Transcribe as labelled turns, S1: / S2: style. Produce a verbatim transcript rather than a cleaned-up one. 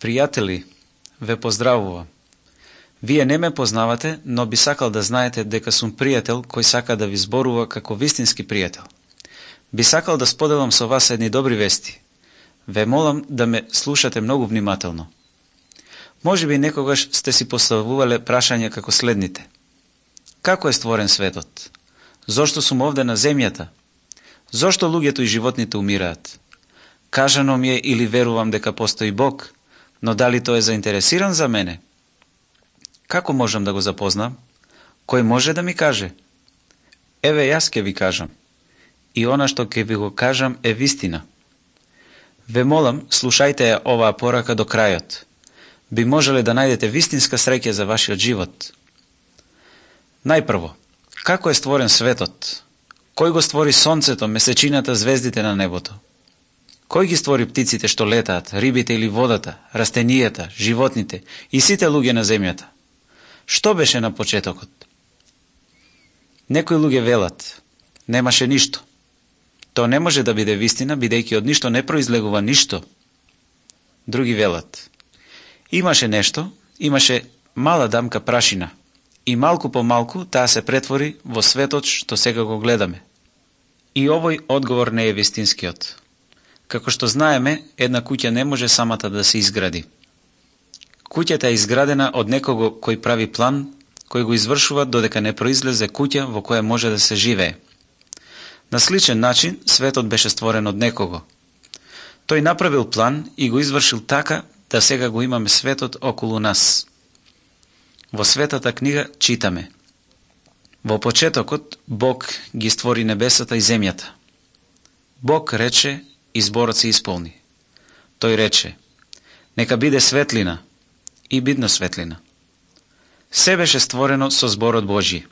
S1: Пријатели, ве поздравувам. Вие не ме познавате, но би сакал да знаете дека сум пријател кој сака да ви зборува како вистински пријател. Би сакал да споделам со вас едни добри вести. Ве молам да ме слушате многу внимателно. Може би некогаш сте си поставувале прашања како следните. Како е створен светот? Зошто сум овде на земјата? Зошто луѓето и животните умираат? Кажано ми е или верувам дека постои Бог, но дали тој е заинтересиран за мене? Како можам да го запознам? Кој може да ми каже? Еве јас ќе ви кажам. И она што ќе ви го кажам е вистина. Ве молам, слушајте ја оваа порака до крајот. Би можеле да најдете вистинска среќа за вашиот живот. Најпрво, како е створен светот? Кој го створи сонцето, месечината, звездите на небото? Кој ги створи птиците што летаат, рибите или водата, растенијата, животните и сите луѓе на земјата? Што беше на почетокот? Некои луѓе велат, немаше ништо. Тоа не може да биде вистина, бидејќи од ништо не произлегува ништо. Други велат, имаше нешто, имаше мала дамка прашина и малку по малку таа се претвори во светот што сега го гледаме. И овој одговор не е вистинскиот. Како што знаеме, една куќа не може самата да се изгради. Куќата е изградена од некого кој прави план, кој го извршува додека не произлезе куќа во која може да се живее. На сличен начин, светот беше створен од некого. Тој направил план и го извршил така да сега го имаме светот околу нас. Во Светата книга читаме: Во почетокот Бог ги створи небесата и земјата. Бог рече и зборот се исполни. Тој рече: нека биде светлина, и бидна светлина. Се беше створено со зборот Божји.